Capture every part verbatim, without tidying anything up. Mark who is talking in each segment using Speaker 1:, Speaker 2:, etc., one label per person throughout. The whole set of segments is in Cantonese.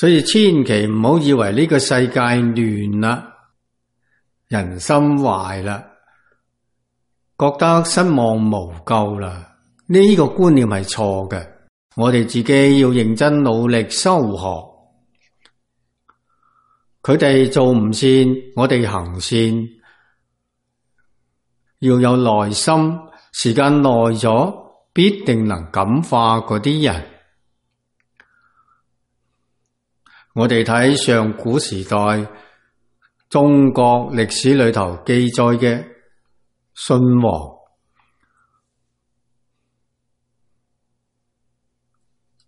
Speaker 1: 所以千祈唔好以為呢個世界亂啦，人心壞啦，覺得失望無救啦，呢個觀念係錯嘅。我哋自己要認真努力修學。佢哋做唔善，我哋行善，要有耐心，時間耐咗，必定能感化嗰啲人。我哋睇上古時代中國歷史裏頭記載嘅舜王，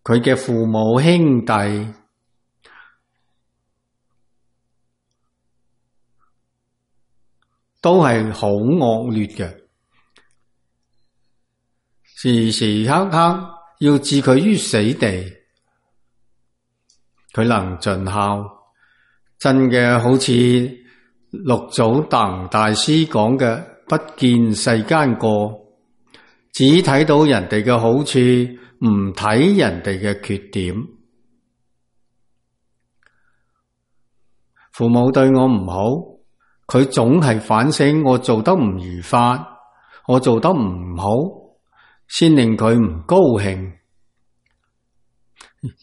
Speaker 1: 佢嘅父母兄弟都係好惡劣嘅，時時刻刻要置佢於死地。佢能盡孝，真嘅好似六祖達悟大師講嘅，不見世間過，只睇到人哋嘅好處，唔睇人哋嘅缺點。父母對我唔好，佢總係反省我做得唔如法，我做得唔好，先令佢唔高興。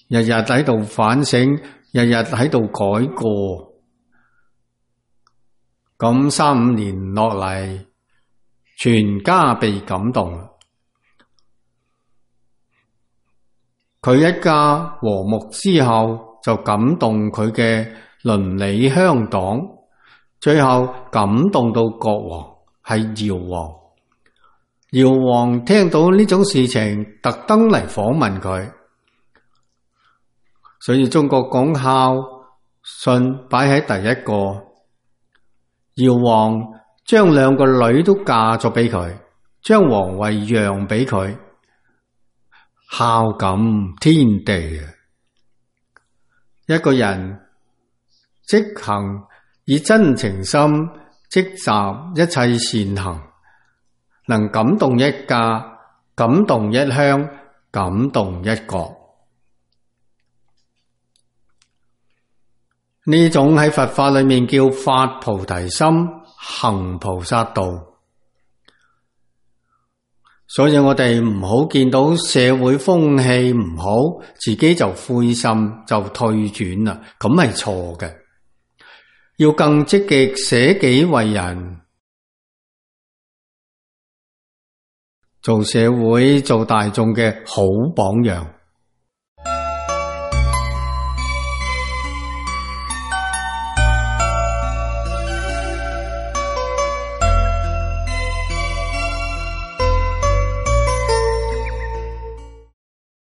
Speaker 1: 日日喺度反省，日日喺度改過，咁三五年落嚟，全家被感動。佢一家和睦之後，就感動佢嘅鄰里鄉黨，最後感動到國王，係堯王。堯王聽到呢種事情，特登嚟訪問佢。所以中國講孝順擺喺第一個，堯王將兩個女都嫁咗俾佢，將皇位讓俾佢，孝感天地啊！一個人積行以真情心積集一切善行，能感動一家，感動一鄉，感動一國。呢種喺佛法裏面叫發菩提心，行菩薩道。所以我哋唔好見到社會風氣唔好，自己就灰心就退轉啦，咁係錯嘅。要更積極捨己為人，做社會做大眾嘅好榜樣。